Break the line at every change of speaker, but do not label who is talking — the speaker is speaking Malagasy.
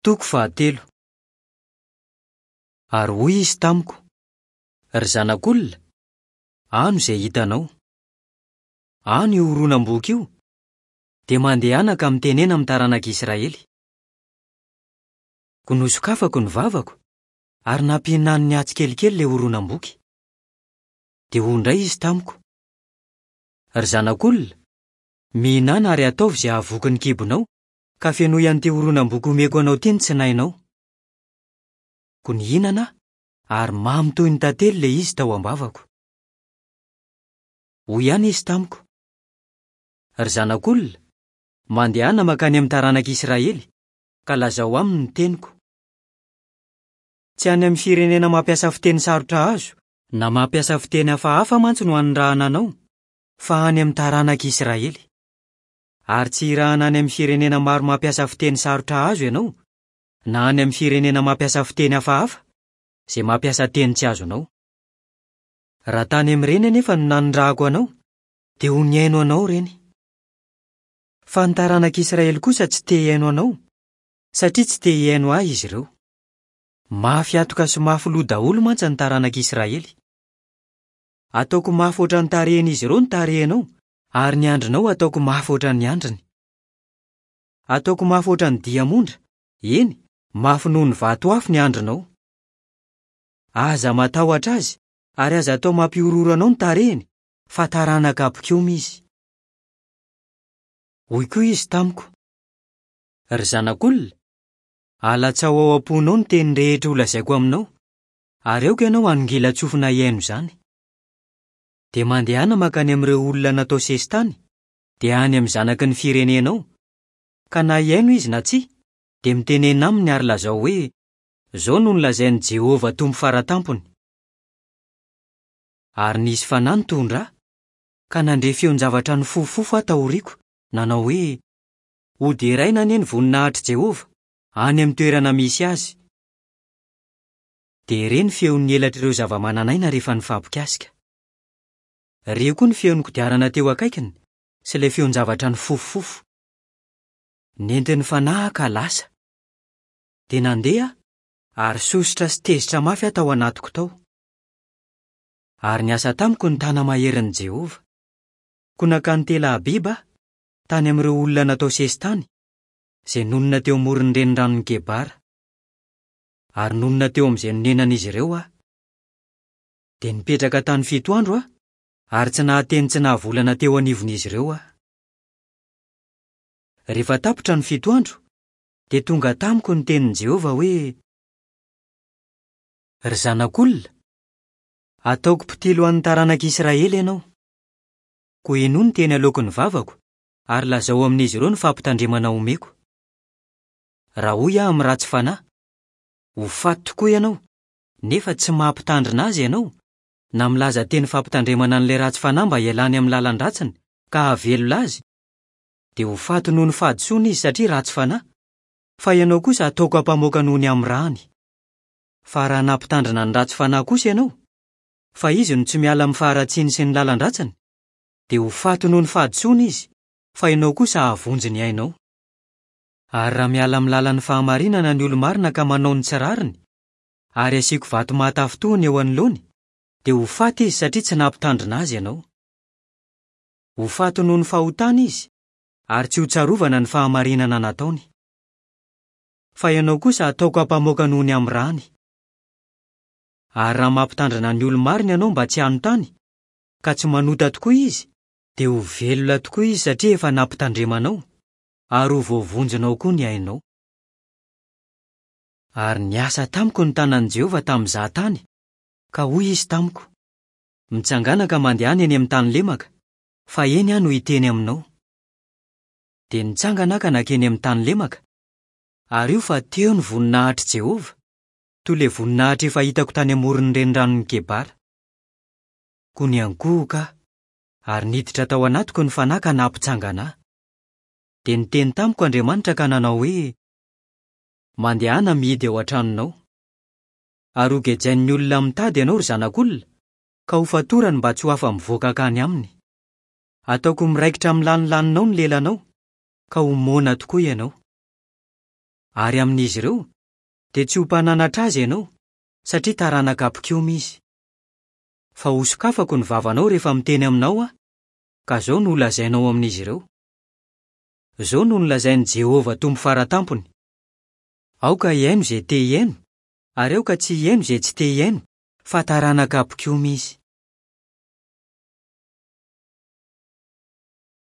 Toko fahatelo. Ary hoy izy tamiko, Ry zanak'olona, ano izay hitanao. Ano io horonam-boky io, dia mandehana ka mitenena amin'ny taranak'Israely. Koa nosokafako ny vavako, ary nampihinaniny ahy tsikelikely ilay horonam-boky. Dia hoy indray izy tamiko, Ry zanak'olona, mihinàna ary ataovy izay hahavoky ny kibonao, ka fenoy an'ity horonam-boky omeko anao ity ny tsinainao. Koa nihinana aho, ary mamy toy ny tantely ilay izy tao am-bavako. Hoy ihany izy tamiko, Ry zanak'olona, mandehana mankany amin'ny taranak'Israely, ka lazao aminy ny teniko. Tsy any amin'ny firenena mampiasa fiteny sarotra azo na mampiasa fiteny hafahafa mantsy no hanirahana anao, fa any amin'ny taranak'Israely. Ary tsy hirahana any amin'ny firenena maro mampiasa fiteny sarotra azo ianao, na any amin'ny firenena mampiasa fiteny hafahafa, izay mampiasa teny tsy azonao. Raha tany amin'ireny anefa no nanirahako anao, dia ho nihaino anao ireny. Fa ny taranak'Israely kosa tsy te hihaino anao, satria tsy te hihaino ahy izy ireo. Mafy hatoka sy mafy loha daholo mantsy ny taranak'Israely. Ataoko mafy hoatran'ny tarehin'izy ireo ny tarehinao, ary ny handrinao ataoko mafy hoatran'ny handriny. Ataoko mafy hoatran'ny diamondra, eny, mafy noho ny vato afo ny handrinao. Aza matahotra azy, ary aza atao mampihorohoro anao ny tarehiny, fa taranaka mpikomy izy. Hoy koa izy tamiko, Ry zanak'olona, alatsao ao am-ponao ny teny rehetra holazaiko aminao, ary aoka ianao hanongilan-tsofina hihaino izany. Dia mandehana mankany amin'ireo olona natao sesitany, dia any amin'ny zanaky ny firenenao, ka na hihaino izy na tsia, dia mitenena aminy ary lazao hoe, 'Izao no nolazain'i Jehovah Tompo Fara Tampony. Ary nisy fanahy nitondra ahy, ka nandre feon-javatra nifofofofo aho taoriako, nanao hoe, Hoderaina anie ny voninahitr'i Jehovah, any amin'ny toerana misy azy! Dia re ny feon'ny elatr'ireo zavamananaina rehefa nifampikasika. Re koa ny feon'ny kodiarana teo akaikiny sy ilay feon-javatra nifofofofo. Nentin'ny fanahy aho ka lasa. Dia nandeha aho, ary sosotra sy tezitra mafy aho tao anatiko tao. Ary niasa tamiko ny tana-maherin'i Jehovah. Koa nankany Tela-abiba aho, tany amin'ireo olona natao sesitany, izay nonina teo amoron'ny reniranon'i Kebara. Ary nonina teo amin'izay nonenan'izy ireo aho. Dia nipetraka tany fito andro aho, ary tsy nahateny tsy nahavolana teo anivon'izy ireo aho. Rehefa tapitra ny fito andro, dia tonga tamiko ny tenin'i Jehovah hoe, Ry zanak'olona, ataoko mpitily ho an'ny taranak'Israely ianao. Koa henoy ny teny aloaky ny vavako, ary lazao amin'izy ireo ny fampitandremana omeko. Raha hoy aho amin'ny ratsy fanahy, Ho faty tokoa ianao, nefa tsy mampitandrina azy ianao, na milaza teny fampitandremana an'ilay ratsy fanahy mba hialany amin'ny lalan-dratsiny ka hahavelona azy, dia ho faty noho ny fahadisoany izy satria ratsy fanahy, fa ianao kosa hataoko ampamoaka noho ny amin'ny rany. Fa raha nampitandrina ny ratsy fanahy kosa ianao, fa izy no tsy miala amin'ny faharatsiany sy ny lalan-dratsiny, dia ho faty noho ny fahadisoany izy, fa ianao kosa hahavonjy ny ainao. Ary raha miala amin'ny lalan'ny fahamarinana ny olo-marina ka manao ny tsy rariny, ary asiako vato mahatafintohina eo anoloany, dia ho faty izy satria tsy nampitandrina azy ianao. Ho faty noho ny fahotany izy, ary tsy hotsarovana ny fahamarinana nataony. Fa ianao kosa hataoko ampamoaka noho ny amin'ny rany. Ary raha mampitandrina ny olo-marina ianao mba tsy hanontany, ka tsy manota tokoa izy, dia ho velona tokoa izy satria efa nampitandremanao, ary ho voavonjinao koa ny ainao. Ary niasa tamiko ny tanan'i Jehovah tamin'izaho tany, ka hoy izy tamiko, Mitsangàna ka mandehana eny amin'ny tany lemaka, fa eny aho no hiteny aminao. Dia nitsangana aho ka nankeny amin'ny tany lemaka, ary io fa teo ny voninahitr'i Jehovah, toy ilay voninahitra efa hitako tany amoron'ny reniranon'i Kebara. Koa niankohoka aho, ary niditra tao anatiko ny fanahy ka nampitsangana ahy. Dia niteny tamiko Andriamanitra ka nanao hoe, Mandehana mihidy ao an-tranonao. Ary hogejain'ny olona amin'ny tady ianao, ry zanak'olona, ka hofatorany mba tsy ho afa-mivoaka hankany aminy. Hataoko miraikitra amin'ny lanilaninao ny lelanao, ka ho moana tokoa ianao. Ary amin'izy ireo, dia tsy ho mpananatra azy ianao, satria taranaka mpikomy izy. Fa hosokafako ny vavanao rehefa miteny aminao aho, ka izao no holazainao amin'izy ireo, 'Izao no nolazain'i Jehovah Tompo Fara Tampony, Aoka hihaino izay te hihaino, ary aoka tsy hihaino izay tsy te hihaino, fa taranaka mpikomy izy.